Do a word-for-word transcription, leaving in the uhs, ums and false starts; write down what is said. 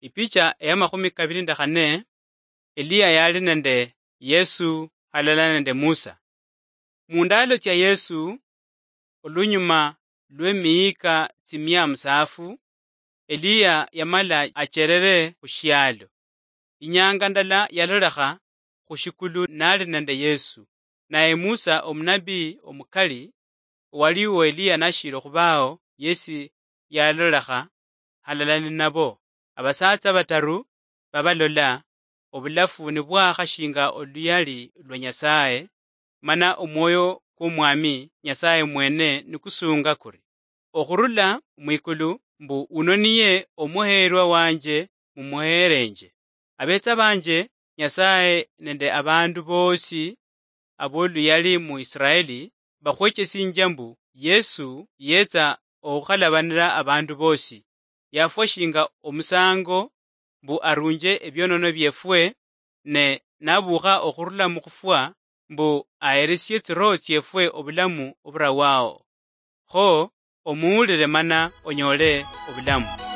Ipicha eyamakhumi kabiri nende khane, Eliya yali nende Yesu halala nende Musa. Mundaalo tsia Yesu, olunyuma lwemiyika tsimia musaafu, Eliya yamala acherere khushialo. Inyanga ndala yalolekha khushikulu nali nende Yesu, naye Musa omunabii omukali owaliwo Eliya nashili okhubao, yesi yalolekha halala ninabo. Abasatsa bataru babalola, obulafu nibwakha shinga oluyali lwa Nyasaye, mana omwoyo kwomwami Nyasaye mwene nikusunga kuri, okhurula mwikulu mbu, "Uno niye omuheerwa wanje mumuheerenje." Abetsa banje, Nyasaye nende abandu bosi aboluyali mu Israeli bakhwechesinjia mbu Yesu yetsa okhukalabanira abandu bosi. Yafwa shinga omusango mbu arunje ebionono biefwe, ne nabukha okhurula mukhufwa mbu aheresie tsiroho tsiefwe obulamu oburawao. Kho omuwulire mana onyole obulamu.